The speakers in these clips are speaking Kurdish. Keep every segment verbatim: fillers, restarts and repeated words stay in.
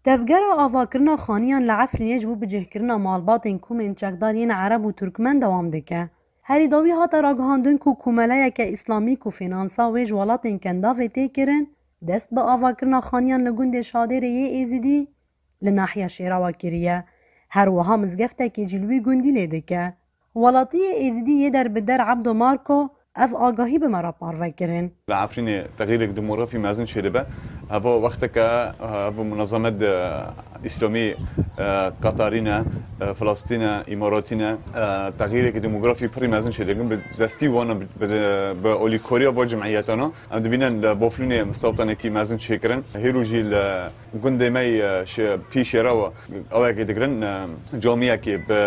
Tevgera avakirina xaniyan li Efrînê ji bo bicihkirina malbatên komên çekdar yên Ereb û Turkmen dewam dike. Herî dawî hate ragihandin ku komeleyeke îslamî ku fînansa wê ji welatên Kendavê tê kirin, dest bi avakirina xaniyan li gundê Şadêrê yê Êzidî li nahiya Şêrawa kiriye. Her wiha mizgeftekê jî li wî gundî lê dike. Welatiyê Êzidî yê derbider Ebdo Marko ev agahî bi me re parve kirin. Li Efrînê texîrek demografî mezin çêdibe. Heva wexteke, ev munazemet, e, îslamî, e, Qatarî ne, e, Filastîn e, Îmaratî ne, e, texîreke demografî pirî mezin çêdikin. Bi destî wan bi, bi, bi olîkoriya va cemiyetana. Em dibînin li Baflûnê mistewtanekî mezin çêkirin. Hêro jî li gundê me yê, e, şi-, pî Şêrawa awekê digirin, e, camiyekê bi,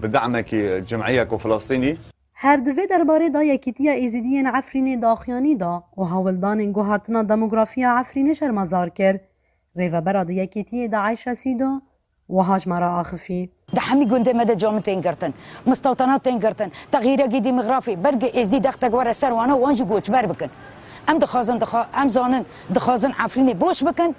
bi demekî cemiyeka Filastînî. Her di vê derbarê de Yekîtiya Êzidiyên Efrînê daxuyanî da û hewldanên guhartina demografiya Efrînê şermezar kir. Rêvebera di Yekîtiyê de Ayşe Sîdo wiha ji me re axifî. Di hemî gundê me de camî tên girtin, mistewtana tên girtin, texîrekî demografî, belkî Êzdî dextek were ser wana, wan jî koçber bikin. Em dixwazin, dixwa-, em zanin, dixwazin Efrînê boş bikin,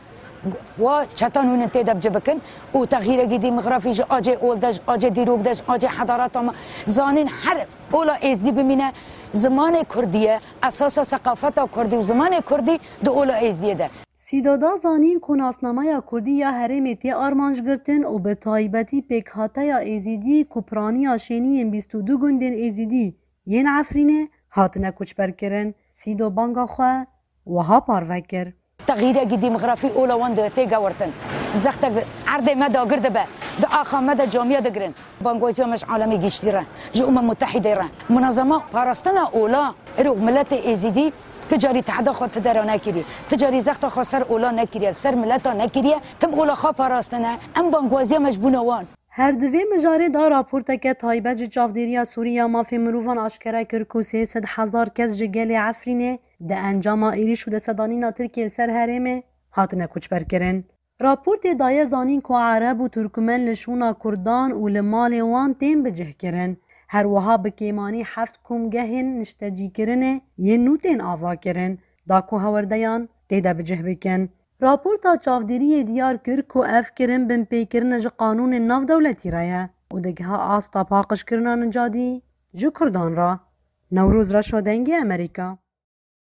wa çetan hûnin tê de bi cih bikin û texîrekî demografî ji acê ol de, ji acê dîrok de, ji acê hedareta me, zanîn her ola Êzdî bimîne, zimanê Kurdî ye, esasa seqafeta Kurdî û zimanê Kurdî di ola Êzdiyê de. Sîdo da zanîn ku nasnameya Kurdî ya herêmê tê armanc girtin û bi taybetî pêkhateya Êzidî ku piraniya şêniyên bîst û du gundên Êzidî yên Efrînê hatine koçberkirin. Sîdo banga xwe wiha parve kir. Texîrekî demografî ola wan di tê gewirtin. Zextek erdê me dagir dibe. Di axa me de camiya digirin. Bangwaziya me ji alemê giştî re, ji Umem Mutehîdê re. Munazema parastina ola, îro miletê Êzidî ti carî tehda xwe ti dera nekiriye. Ti carî zexta xwe ser ola nekiriye, ser mileta nekiriye. Tim ola xwe parastine. Em bangwaziya me ji bona wan. Her di vê mijarê de raporteke taybet ji Çavdêriya Sûrî ya Mafê Mirovan aşkere kir ku sê sed hezar kes ji gelê Efrînê di encama êrîş û destedanîna Tirkiyê li ser herêmê hatine koçberkirin. Raportê daye zanîn ku Ereb û Turkmen li şûna Kurdan û li malê wan tên bicihkirin. Her wiha bi kêmanî heft komgehên niştecîkirinê yên nû tên avakirin, da ku hewerdeyan tê de bicih bikin. Raporta çavdêriyê diyar kir ku ev kirin binpêkirin ji qanûnên navdewletî re ye û digiha asta paqijkirina nicadî ji Kurdan re. Newroz Reşo, Dengê Amerîka.